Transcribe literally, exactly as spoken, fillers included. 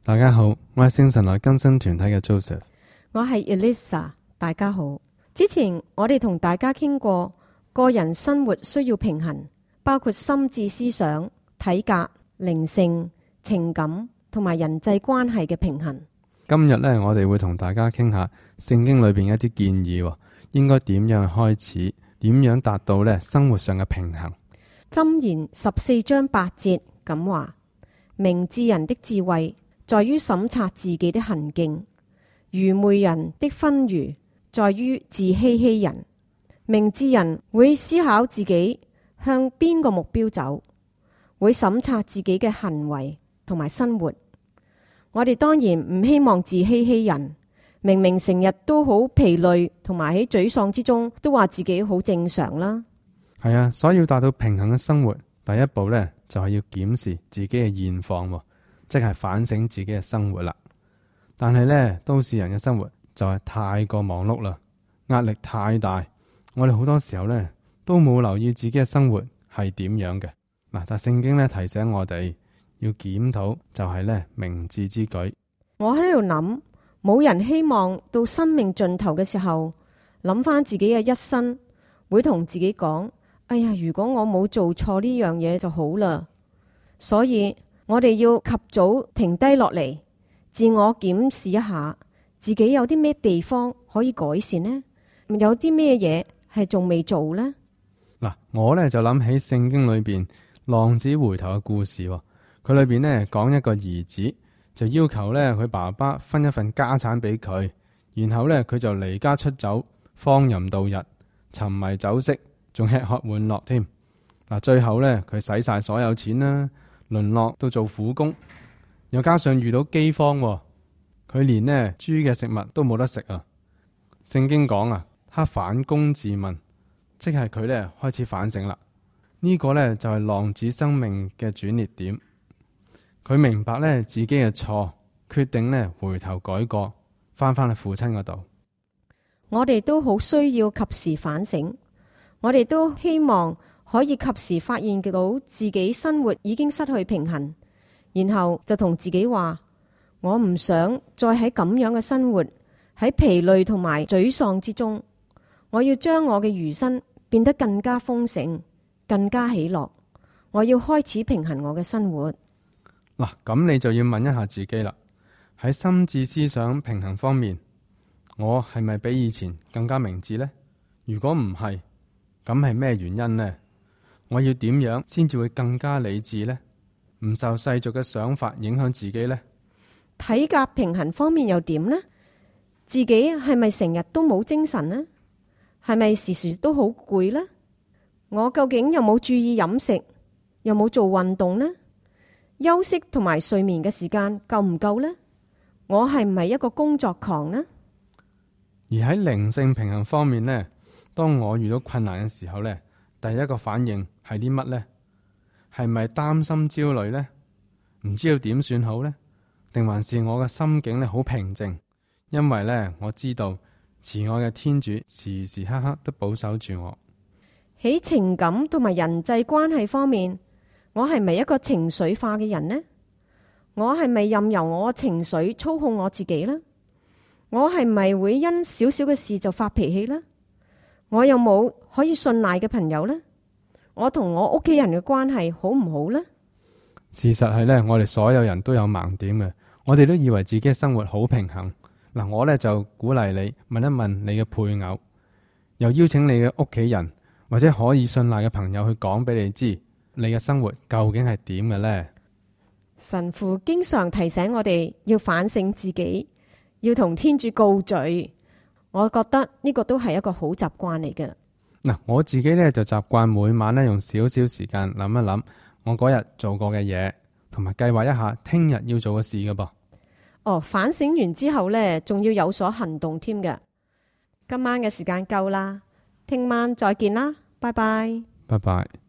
大家好，我係聖神來更新團體嘅 Joseph， 我係 Elisa， 大家好。之前我哋同大家傾過個人生活需要平衡，包括心智思想、體格、靈性、情感同埋人際關係嘅平衡。今日呢，我哋會同大家傾下聖經裏邊一啲建議，應該點樣開始，點樣達到呢生活上嘅平衡。箴言十四章八節咁話：明智人的智慧在於審察自己的行徑，愚昧人的昏愚在於自欺欺人。明智人會思考自己向邊個目標走，會審察自己嘅行為同埋生活。我哋當然唔希望自欺欺人，明明成日都好疲累，同埋喺沮喪之中都話自己好正常啦。係啊，所以要達到平衡嘅生活，第一步呢，就係要檢視自己嘅現況，即係反省自己嘅生活啦。但係呢，都市人嘅生活就係太過忙碌啦，壓力太大，我哋好多時候呢，都冇留意自己嘅生活係點樣嘅。嗱，但聖經呢，提醒我哋要檢討，就係呢明智之舉。我喺度諗，冇人希望到生命盡頭嘅時候，諗翻自己嘅一生，會同自己講：哎呀，如果我冇做錯呢樣嘢就好啦。所以我哋要及早停低落嚟，自我檢視一下自己有啲咩地方可以改善呢？有啲咩嘢係仲未做呢？嗱，我呢就諗起聖經裏邊浪子回頭嘅故事，佢裏邊呢講一個兒子就要求呢佢爸爸分一份家產俾佢，然後呢，佢就離家出走，荒淫度日，沉迷酒色，仲吃喝玩樂添。嗱，最後呢，佢使晒所有錢啦，淪落到做苦工，又加上遇到饑荒，佢連呢豬嘅食物都冇得食啊！聖經講啊，他反躬自問，即係佢呢開始反省啦。呢個呢，就係浪子生命嘅轉捩點。佢明白呢自己嘅錯，決定呢回頭改過，翻返去父親嗰度。我哋都好需要及時反省，我哋都希望可以及時發現到自己生活已經失去平衡，然後就同自己話：我唔想再喺咁樣嘅生活，喺疲累同埋沮喪之中，我要將我嘅餘生變得更加豐盛，更加喜樂。我要開始平衡我嘅生活。嗱，咁你就要問一下自己啦，喺心智思想平衡方面，我係咪比以前更加明智呢？如果唔係，咁係咩原因呢？我要點樣先至會更加理智呢？唔受世俗嘅想法影響自己呢？體格平衡方面又點呢？自己係咪成日都冇精神呢？係咪時時都好攰呢？我究竟有冇注意飲食？有冇做運動呢？休息同埋睡眠嘅時間夠唔夠呢？我係唔係一個工作狂呢？而喺靈性平衡方面呢，當我遇到困難嘅時候呢，第一個反應係啲乜呢？係咪擔心焦慮呢？唔知道點算好呢？定還是我嘅心境呢好平靜？因為呢，我知道慈愛嘅天主時時刻刻都保守住我。喺情感同埋人際關係方面，我係咪一個情緒化嘅人呢？我係咪任由我嘅情緒操控我自己呢？我係咪會因少少嘅事就發脾氣呢？我有冇可以信賴嘅朋友呢？我同我屋企人嘅關係好唔好呢？事實係呢，我哋所有人都有盲點嘅，我哋都以為自己嘅生活好平衡。嗱，我呢就鼓勵你問一問你嘅配偶，又邀請你嘅屋企人或者可以信賴嘅朋友去講俾你知，你嘅生活究竟係點嘅呢？神父經常提醒我哋要反省自己，要同天主告罪。我覺得呢個都係一個好習慣嚟嘅。嗱，我自己呢就習慣每晚呢用少少時間諗一諗我嗰日做過嘅嘢，同埋計劃一下聽日要做嘅事㗎噃。哦，反省完之後呢，仲要有所行動添嘅。今晚嘅時間夠啦，聽晚再見啦，拜拜。拜拜。